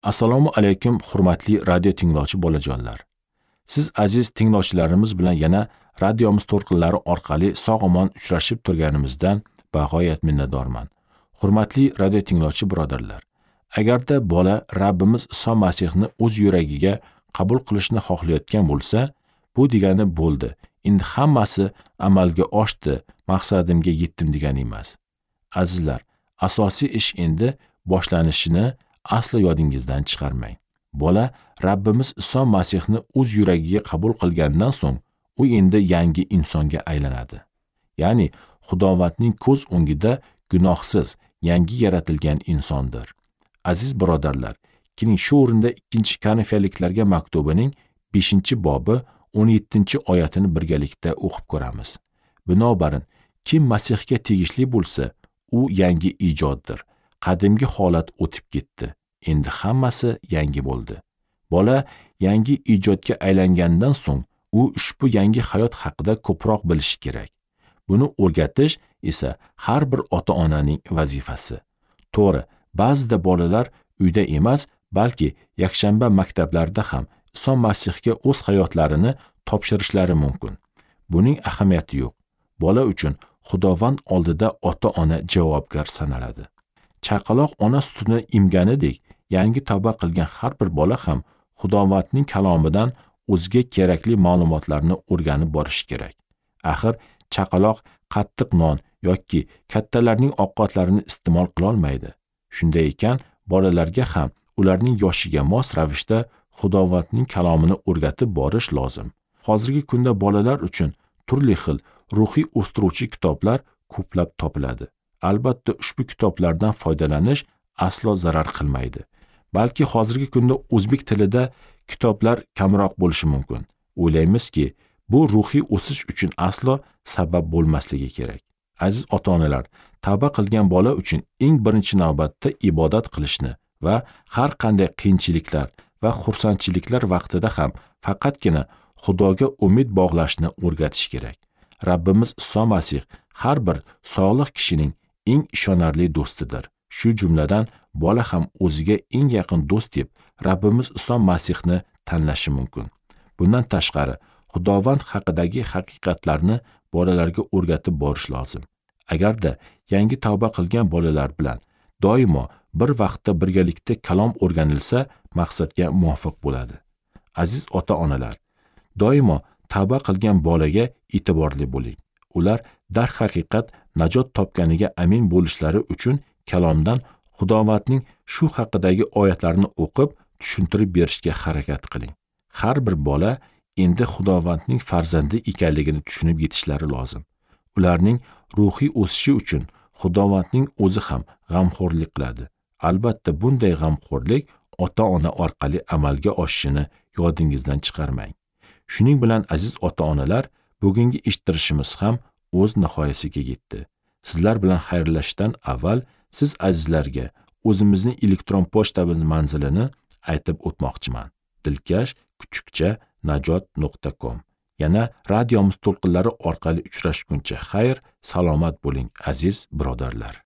Assalomu alaykum, hurmatli radio tinglovchi bolajonlar. Siz aziz tinglovchilarimiz bilan yana radiomiz to'lqinlari orqali sog'-omon uchrashib turganimizdan bag'oyat minnatdorman. Hurmatli radio tinglovchi birodarlar, agarda bola Rabbimiz Iso Masihni o'z yuragiga qabul qilishni xohlayotgan bo'lsa, bu degani bo'ldi. Endi hammasi amalga oshdi, maqsadimga yetdim degani emas. Azizlar, asosiy ish endi boshlanishini aslo yodingizdan chiqarmang. Bola Rabbimiz Iso Masihni o'z yuragiga qabul qilgandan so'ng, u endi yangi insonga aylanadi. Ya'ni Xudovandning ko'z o'ngida gunohsiz, yangi yaratilgan insondir. Aziz birodarlar, keling shu o'rinda 2-Korinfiyaliklarga maktubining 5-bobi 17-oyatini birgalikda o'qib ko'ramiz. Binobarin, kim Masihga tegishli bo'lsa, u yangi ijoddir. Qadimgi holat o'tib ketdi. Endi hammasi yangi bo'ldi. Bola yangi ijodga aylangandan so'ng, u ushbu yangi hayot haqida ko'proq bilishi kerak. Buni o'rgatish esa har bir ota-onaning vazifasi. To'g'ri, ba'zida bolalar uyda emas, balki yakshanba maktablarida ham Iso Masihga o'z hayotlarini topshirishlari mumkin. Buning ahamiyati yo'q. Bola uchun Xudovand oldida ota-ona javobgar sanaladi. Chaqaloq ona sutini emganidek, yangi tavba qilgan har bir bola ham Xudovandning kalomidan o'ziga kerakli ma'lumotlarni o'rganib borishi kerak. Axir chaqaloq qattiq non yoki kattalarning ovqatlarini iste'mol qila olmaydi. Shunday ekan, bolalarga ham ularning yoshiga mos ravishda Xudovandning kalomini o'rgatib borish lozim. Hozirgi kunda bolalar uchun turli xil ruhiy o'stiruvchi kitoblar ko'plab topiladi. Albatta, ushbu kitoblardan foydalanish aslo zarar qilmaydi. Balki hozirgi kunda o'zbek tilida kitoblar kamroq bo'lishi mumkin. O'ylaymizki, bu ruhiy o'sish uchun aslo sabab bo'lmasligi kerak. Aziz ota-onalar, tavba qilgan bola uchun eng birinchi navbatda ibodat qilishni va har qanday qiyinchiliklar va xursandchiliklar vaqtida ham faqatgina Xudoga umid bog'lashni o'rgatish kerak. Rabbimiz Iso Masih har bir solih kishining eng ishonarli do'stidir. Shu jumladan bola ham o'ziga eng yaqin do'st deb Rabbimiz Iso Masihni tanlashi mumkin. Bundan tashqari, Xudovand haqidagi haqiqatlarni bolalarga o'rgatib borish lozim. Agarda yangi tavba qilgan bolalar bilan doimo bir vaqtda birgalikda kalom o'rganilsa, maqsadga muvofiq bo'ladi. Aziz ota-onalar, doimo tavba qilgan bolaga e'tiborli bo'ling. Ular darhaqiqat najot topganiga amin bo'lishlari uchun kalomdan Xudovandning shu haqidagi oyatlarni o'qib, tushuntirib berishga harakat qiling. Har bir bola endi Xudovandning farzandi ekanligini tushunib yetishlari lozim. Ularning ruhiy o'sishi uchun Xudovandning o'zi ham g'amxo'rlik qiladi. Albatta, bunday g'amxo'rlik ota-ona orqali amalga oshishini yodingizdan chiqarmang. Shuning bilan aziz ota-onalar, bugungi eshittirishimiz ham o'z nihoyasiga yetdi. Sizlar bilan xayrlashishdan avval siz azizlarga o'zimizning elektron pochtamiz manzilini aytib o'tmoqchiman. dilkash@najot.com. Yana radiomiz to'lqinlari orqali uchrashguncha xayr, salomat bo'ling aziz birodarlar.